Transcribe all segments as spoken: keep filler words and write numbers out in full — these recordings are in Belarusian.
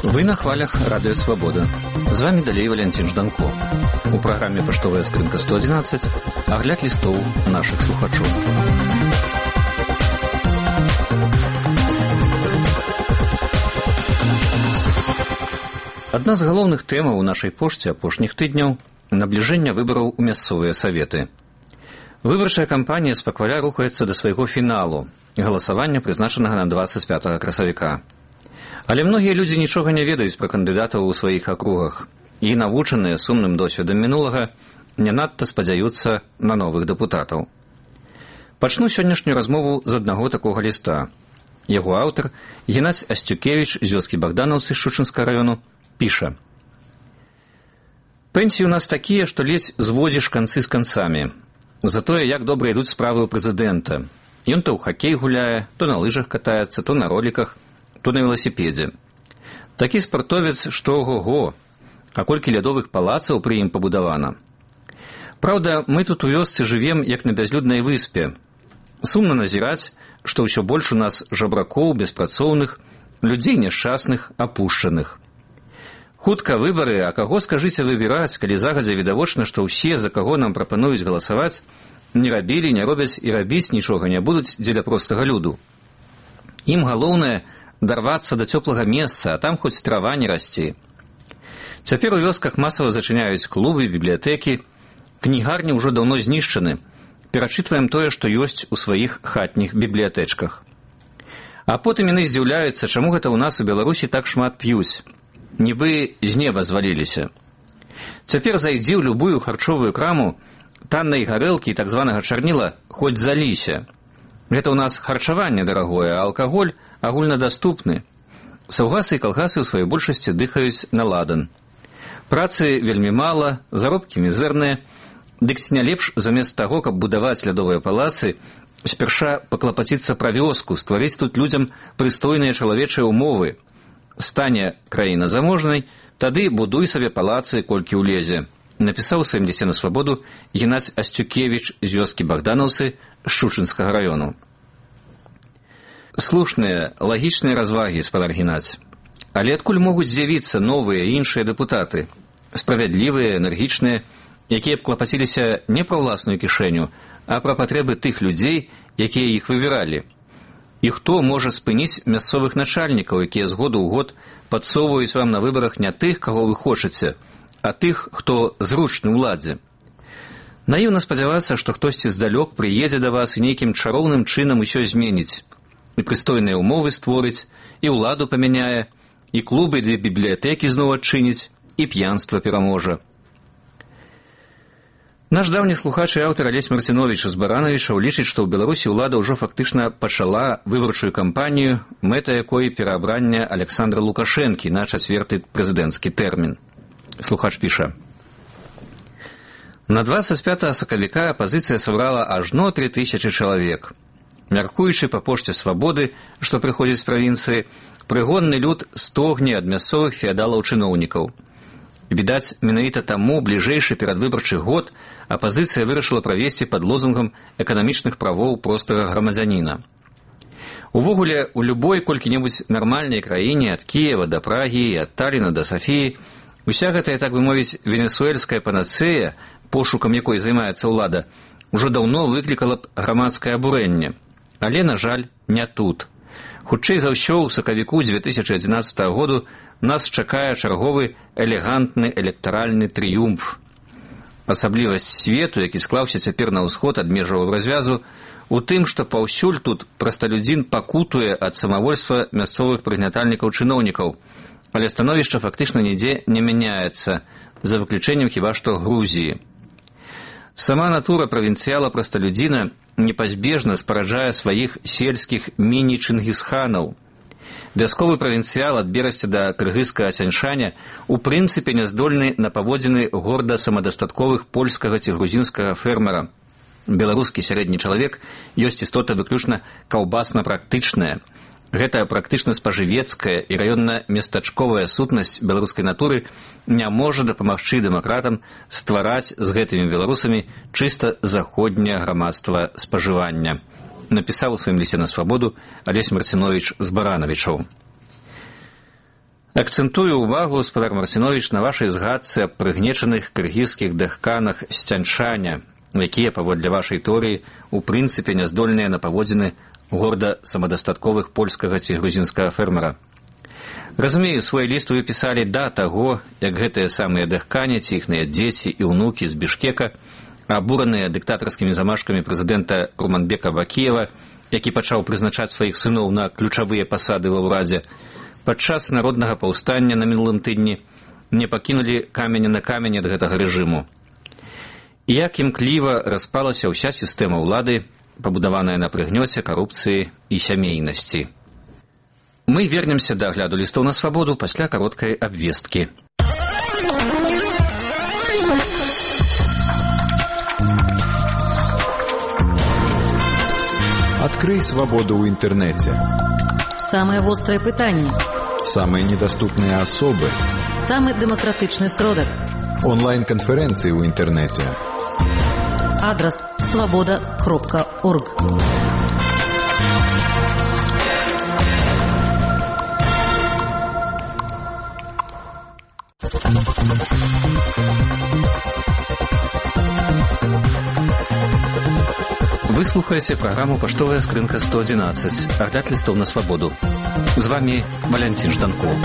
Вы на хвалях Радио Свобода. З вами далей Валентин Жданко. У праграме «Паштовая скрынка сто одиннадцать» агляд лістоў нашых слухачоў. Адна з галоўных тэмаў у нашай пошце апошніх тыдняў – набліжэнне выбараў у мясцовыя саветы. Выбарчая кампанія спакваля рухаецца да свайго фіналу – галасавання, прызначанага на дваццаць пятага красавіка. Але многія людзі нічога не ведаюць пра кандыдатаў у сваіх акругах і, навучаныя сумным досведам мінулага, не надта спадзяюцца на новых дэпутатаў. Пачну сённяшнюю размову з аднаго такога ліста. Яго аўтар, Геннадзь Астюкевіч з вёскі Богдановцы з Шучынскага раёну, піша: «Пенсіі ў нас такія, што ледзь зводзіш канцы з канцамі. Затое, як добра ідуць справы ў прэзідэнта. Ён то ў хакей гуляе, то на лыжах катаецца, то на роліках, то на велосипеде. Такі спартовец, што ого-го, а колькі лядовых палацаў пры ім пабудавана. Праўда, мы тут у вёсцы жывем, як на бязлюднай выспе. Сумна назіраць, што ўсё больш у нас жабракоў, беспрацоўных, людзей няшчасных, апушчаных. Хутка выбары, а каго, скажыце, выбіраць, калі загадзя відавочна, што ўсе, за каго нам прапануюць галасаваць, не рабілі, не робяць і рабіць нічога не будуць дзеля простага люду. Ім галоўнае дарвацца да цёплага месца, а там хоць трава не расці. Цяпер у вёсках масава зачыняюць клубы, бібліятэкі, кнігарні ўжо даўно знішчаны. Перачытваем тое, што ёсць у сваіх хатніх бібліятэчках. А потым яны здзіўляюцца, чаму гэта ў нас у Беларусі так шмат п'юць. Нібы з неба зваліліся. Цяпер зайдзі ў любую харчовую краму, таннай гарэлкі і так званага чарніла хоць заліся. Гэта ў нас харчаванне дарагое, а алкаголь агульнадаступны. Саўгасы і калгасы ў сваёй большасці дыхаюць на ладан. Працы вельмі мала, заробкі мізэрныя, дык ці не лепш замест таго, каб будаваць лядовыя палацы, спярша паклапаціцца пра вёску, стварыць тут людзям прыстойныя чалавечыя ўмовы. Стане краіна заможнай, тады будуй сабе палацы, колькі ўлезе, напісаў у сваім лісце на Свабоду Геннадзь Астюкевіч з вёскі Богдановцы з Шучынскага раёну. Слушныя, лагічныя развагі, спадар Геннадзь. Але адкуль могуць з'явіцца новыя і іншыя дэпутаты, справядлівыя, энергічныя, якія б клапаціліся не пра ўласную кішэню, а пра патрэбы тых людзей, якія іх выбіралі? І хто можа спыніць мясцовых начальнікаў, якія з году ў год падсоўваюць вам на выбарах не тых, каго вы хочаце, а тых, хто зручны ўладзе? Наіўна спадзявацца, што хтосьці здалёк прыедзе да вас і нейкім чароўным чынам усё зменіць, і прыстойныя ўмовы створыць, і ўладу памяняе, і клубы для бібліятэкі зноў адчыніць, і п'янства пераможа. Наш даўні слухач і аўтар Алесь Марціновіч з Баранавічаў лічыць, што ў Беларусі ўлада ўжо фактычна пачала выбарчую кампанію, мэта якой пераабрання Александра Лукашэнкі на чацвёрты прэзідэнцкі тэрмін. Слухач піша: «На дваццаць пятага сакавіка апазіцыя сабрала ажно тры тысячы чалавек. Мяркуючы па пошце Свабоды, што прыходзіць з правінцыі, прыгонны люд стогне ад мясцовых феадалаў-чыноўнікаў. Відаць, менавіта таму бліжэйшы перадвыбарчы год апазіцыя вырашыла правесці пад лозунгам эканамічных правоў простага грамадзяніна. Увогуле, у любой колькі-небудзь нармальнай краіне, ад Кіева да Прагі і ад Таліна да Сафіі, уся гэтая, так бы мовіць, венесуэльская панацэя, пошукам якой займаецца ўлада, ужо даўно выклікала б грамадскае абурэнне. Але, на жаль, не тут. Хутчэй за ўсё, у сакавіку дзве тысячы адзінаццатага году нас чакае чарговы элегантны электаральны трыумф. Асаблівасць свету, які склаўся цяпер на ўсход ад межавага развязу, у тым, што паўсюль тут прасталюдзін пакутуе ад самавольства мясцовых прыгнятальнікаў чыноўнікаў, але становішча фактычна нідзе не мяняецца, за выключэннем хіба што Грузіі. Сама натура правінцыяла-прасталюдзіна непазбежна спараджае сваіх сельскіх міні-чынгісханаў. Вясковы правінцыял ад Берасця да кыргызскага Цяньшаня у прынцыпе не здольны на паводзіны горда самадастатковых польскага ці грузінскага фермера. Беларускі сярэдні чалавек ёсць істота выключна каўбасна-практычная. Гэта практычна спажывецкая і раённа-местачковая сутнасць беларускай натуры не можа дапамагчы дэмакратам ствараць з гэтымі беларусамі чыста заходняе грамадства спажывання. напісаў у сваім лісце на свабоду Алесь Марцинович з Баранавічаў. Акцэнтую ўвагу, спадар Марцинович, на вашай згадцы аб прыгнечаных кыргызскіх дэхканах з Цяньшаня, якія, паводле вашай тэорыі, у прынцыпе няздольныя на паводзіны горда самадастатковых польскага ці грузінскага фермера. Разумею, свой ліст вы пісалі да таго, як гэтыя самыя дэхкане ці іхныя дзеці і ўнукі з Бішкека, абураныя дыктатарскімі замашкамі прэзідэнта Курманбека Бакіева, які пачаў прызначаць сваіх сыноў на ключавыя пасады ва ўрадзе, падчас народнага паўстання на мінулым тыдні не пакінулі каменя на камень ад гэтага рэжыму. І як імкліва распалася ўся сістэма ўлады, пабудаваная на прыгнёце, карупцыі і сямейнасці. Мы вернемся да агляду лістоў на свабоду пасля кароткай абвесткі. Открой свободу в интернете. Самые острые пытания. Самые недоступные особы. Самый демократичный сродок. Онлайн-конференции в интернете. Адрес свобода кропка орг. Вы слухаете программу «Поштовая скрынка сто одиннадцать». Огляд листов на свободу. С вами Валентин Жданков.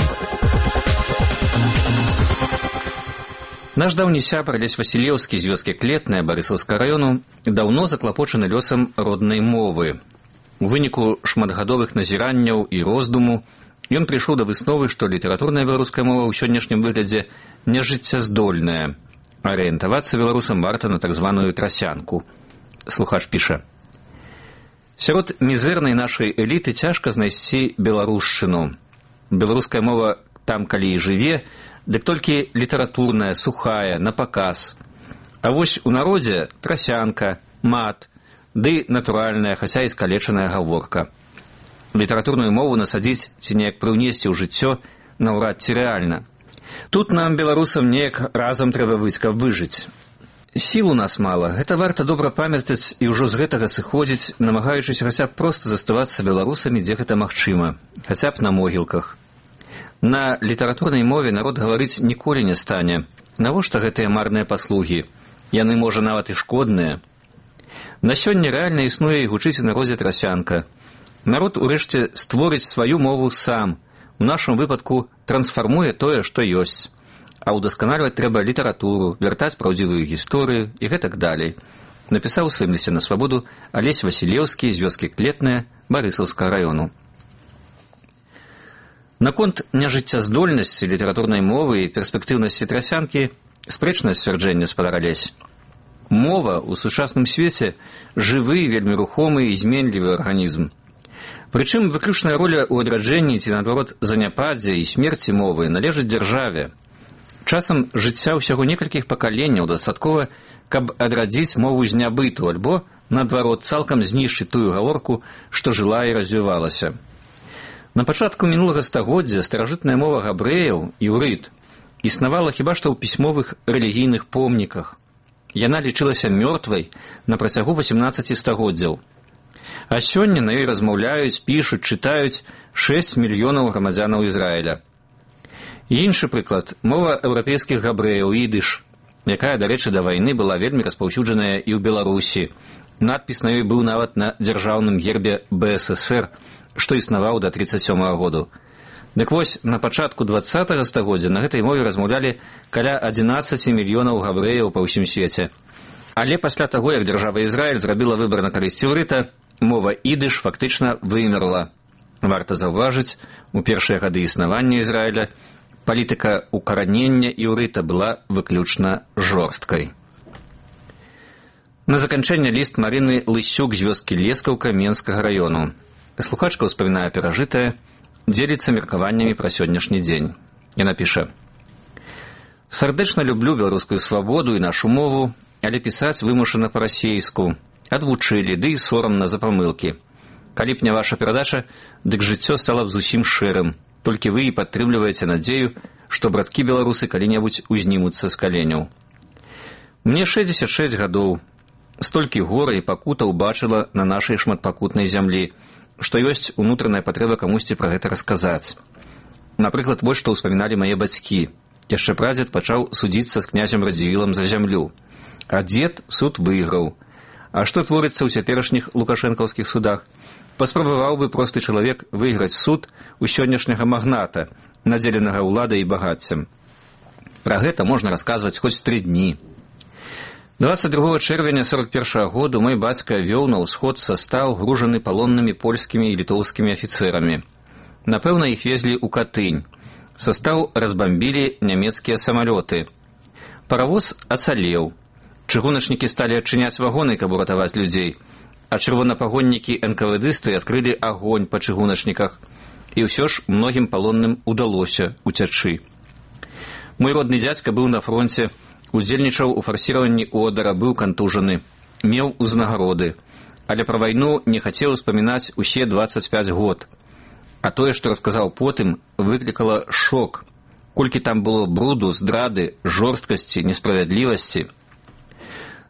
Наш даўні сябар Алесь Васілеўскі з вёскі Клетная Барысаўскага раёну даўно заклапочаны лёсам роднай мовы. У выніку шматгадовых назіранняў і роздуму ён прыйшоў да высновы, што літаратурная беларуская мова ў сённяшнім выглядзе няжыццяздольная. Арыентавацца беларусам варта на так званую трасянку. Слухач піша: сярод мізэрнай нашай эліты цяжка знайсці беларушчыну. Беларуская мова там, калі і жыве, дык толькі літаратурная, сухая, на паказ. А вось у народзе трасянка, мат, ды натуральная, хаця і скалечаная гаворка. Літаратурную мову насадзіць ці неяк прыўнесці ў жыццё наўрад ці рэальна. Тут нам, беларусам, неяк разам трэба быць, каб выжыць. Сіл у нас мала, гэта варта добра памятаць і ўжо з гэтага сыходзіць, намагаючыся хаця б проста заставацца беларусамі, дзе гэта магчыма, хаця б на могілках. На літаратурнай мове народ гаварыць ніколі не стане. Навошта гэтыя марныя паслугі? Яны, можа, нават і шкодныя. На сёння рэальна існуе і гучыць у народзе трасянка. Народ, урэшце, створыць сваю мову сам. У нашым выпадку трансфармуе тое, што ёсць. А ўдасканальваць трэба літаратуру, вяртаць праўдзівую гісторыю і гэтак далей. Напісаў у сваім лісце на свабоду Алесь Васілеўскі з вёскі Клетная Барысаўскага раёну. Наконт няжыццяздольнасці літаратурнай мовы і перспектыўнасці трасянкі спрэчнае сцвярджэнне, спадар Алесь. Мова ў сучасным свеце жывы, вельмі рухомы і зменлівы арганізм. Прычым выключная роля ў адраджэнні ці, наадварот, заняпадзе і смерці мовы належыць дзяржаве. Часам жыцця ўсяго некалькіх пакаленняў дастаткова, каб адрадзіць мову з нябыту, альбо, наадварот, цалкам знішчыць тую гаворку, што жыла і развівалася. На пачатку мінулага стагоддзя старажытная мова габрэяў, іўрыт, існавала хіба што ў пісьмовых рэлігійных помніках. Яна лічылася мёртвай на працягу васемнаццаці стагоддзяў. А сёння на ёй размаўляюць, пішуць, чытаюць шэсць мільёнаў грамадзянаў Ізраіля. Іншы прыклад – мова еўрапейскіх габрэяў, ідыш, якая, дарэчы, да вайны была вельмі распаўсюджаная і ў Беларусі. Надпіс на ёй быў нават на дзяржаўным гербе бэ эс эс ер, што існаваў да трыццаць сёмага году. Дык вось, на пачатку дваццатага стагоддзя на гэтай мове размаўлялі каля адзінаццаці мільёнаў габрэяў па ўсім свеце. Але пасля таго, як дзяржава Ізраіль зрабіла выбар на карысць іўрыта, мова ідыш фактычна вымерла. Варта заўважыць, у першыя гады існавання Ізраіля палітыка укаранення іўрыта была выключна жорсткай. На заканчэнне ліст Марыны Лысюк з вёскі Лескаўка Менскага раёну. Слухачка ўспамінае перажытае, дзеліцца меркаваннямі пра сённяшні дзень. Яна піша: «Сардэчна люблю беларускую свабоду і нашу мову, але пісаць вымушана па-расейску. Адвучылі, ды і сорамна за памылкі. Калі б не ваша перадача, дык жыццё стала б зусім шэрым. Толькі вы і падтрымліваеце надзею, што браткі-беларусы калі-небудзь узнімуцца з каленяў. Мне шэсцьдзесят шэсць гадоў. Столькі гора і пакутаў бачыла на нашай шматпакутнай зямлі, што ёсць унутраная патрэба камусьці пра гэта расказаць. Напрыклад, вось што ўспаміналі мае бацькі. Яшчэ прадзед пачаў судзіцца з князем Радзівілам за зямлю. А дзед суд выйграў. А што творыцца ў цяперашніх лукашэнкаўскіх судах? Паспрабаваў бы просты чалавек выйграць суд у сённяшняга магната, надзеленага ўладай і багаццем. Пра гэта можна расказваць хоць тры дні. дваццаць другога чэрвеня сорок першага году мой бацька вёў на ўсход састаў, гружаны палоннымі польскімі і літоўскімі афіцэрамі. Напэўна, іх везлі ў Катынь. Састаў разбамбілі нямецкія самалёты. Паравоз ацалеў. Чыгуначнікі сталі адчыняць вагоны, каб уратаваць людзей, а чырвонапагоннікі энкавэдысты адкрылі агонь па чыгуначніках, і ўсё ж многім палонным удалося уцячы. Мой родны дзядзька быў на фронце, удзельнічаў у фарсіраванні Одара, быў кантужаны, меў узнагароды, але пра вайну не хацеў успамінаць усе дваццаць пяць год. А тое, што расказаў потым, выклікала шок. Колькі там было бруду, здрады, жорсткасці, несправядлівасці.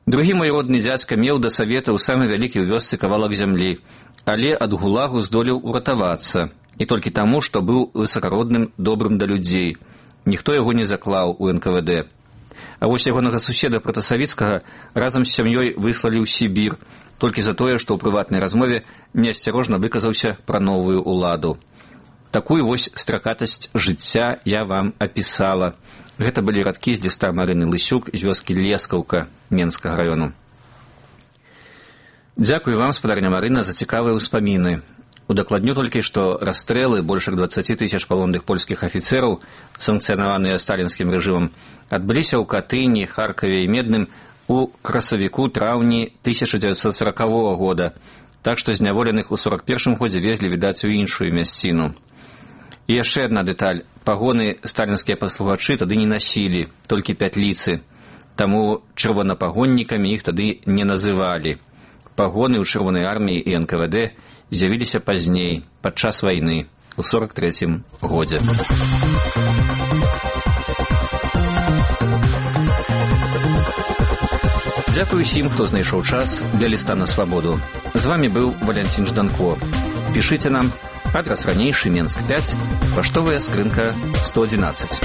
Другі мой родны дзядзька меў да савета ў самай вялікай вёсцы кавалак зямлі, але ад гулагу здолеў уратавацца, і толькі таму, што быў высакародным, добрым да людзей. Ніхто яго не заклаў у эн ка вэ дэ. А вось ягонага суседа Пратасавіцкага разам з сям'ёй выслалі ў Сібір, толькі за тое, што ў прыватнай размове неасцярожна выказаўся пра новую ўладу. Такую вось стракатасць жыцця я вам апісала. Гэта былі радкі з ліста Марыны Лысюк з вёскі Лескаўка Менскага раёну. Дзякую вам, спадарня Марына, за цікавыя ўспаміны. Удакладню толькі, што расстрэлы больш як дваццаць тысяч палонных польскіх афіцэраў, санкцыянаваныя сталінскім рэжымам, адбыліся ў Катыні, Харкаве і Медным у красавіку-траўні тысяча дзевяцьсот сорокавога года, так што зняволеных у сорок першым годзе везлі, відаць, у іншую мясціну. І яшчэ адна дэталь. Пагоны сталінскія паслугачы тады не насілі, толькі пятліцы. Таму чырвонапагоннікамі іх тады не называлі. Пагоны ў чырвонай арміі і эн ка вэ дэ з'явіліся пазней, падчас вайны, у сорок трэцім годзе. Дзякую усім, хто знайшоў час для ліста на свабоду. З вамі быў Валянцін Жданко. Пішыце нам. Адрас ранейшы, Менск пяць, паштовая скрынка сто адзінаццаць.